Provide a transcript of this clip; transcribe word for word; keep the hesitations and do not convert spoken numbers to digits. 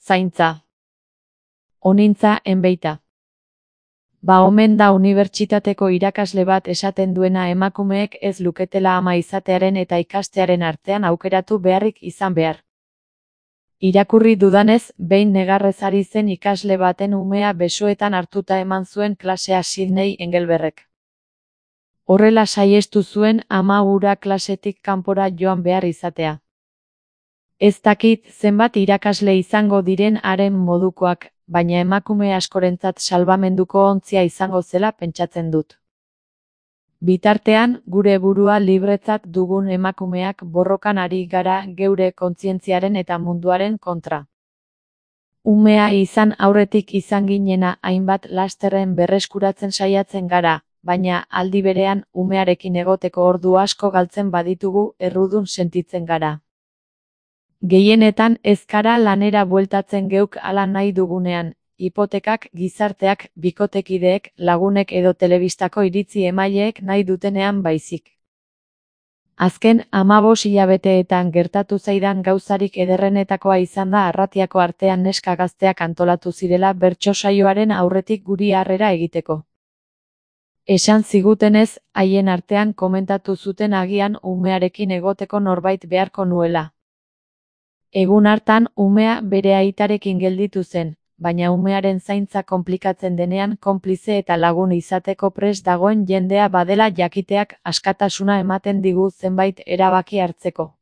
zaintza. Onintza enbeita. Ba omen da unibertsitateko irakasle bat esaten duena emakumeek ez luketela ama izatearen eta ikastearen artean aukeratu beharrik izan behar. Irakurri dudanez, behin negarrez ari zen ikasle baten umea besoetan hartuta eman zuen klasea Sidney Engelbergek. Horrela saihestu zuen ama hura klasetik kanpora joan behar izatea. Ez dakit zenbat irakasle izango diren haren modukoak, baina emakume askorentzat salbamenduko ontzia izango zela pentsatzen dut. Bitartean, gure burua libretzat dugun emakumeak borrokan ari gara geure kontzientziaren eta munduaren kontra. Umea izan aurretik izan ginena hainbat lasterren berreskuratzen saiatzen gara, baina aldi berean umearekin egoteko ordu asko galtzen baditugu errudun sentitzen gara. Gehienetan ez gara lanera bueltatzen geuk hala nahi dugunean, hipotekak, gizarteak, bikotekideek, lagunek edo telebistako iritzi emaileek nahi dutenean baizik. Azken hamabost hilabeteetan gertatu zaidan gauzarik ederrenetakoa izan da Arratiako artean neska gazteak antolatu zirela bertso saioaren aurretik guri harrera egiteko. Esan zigutenez, haien artean komentatu zuten agian umearekin egoteko norbait beharko nuela. Egun hartan umea bere aitarekin gelditu zen, baina umearen zaintza konplikatzen denean konplize eta lagun izateko prest dagoen jendea badela jakiteak askatasuna ematen digu zenbait erabaki hartzeko.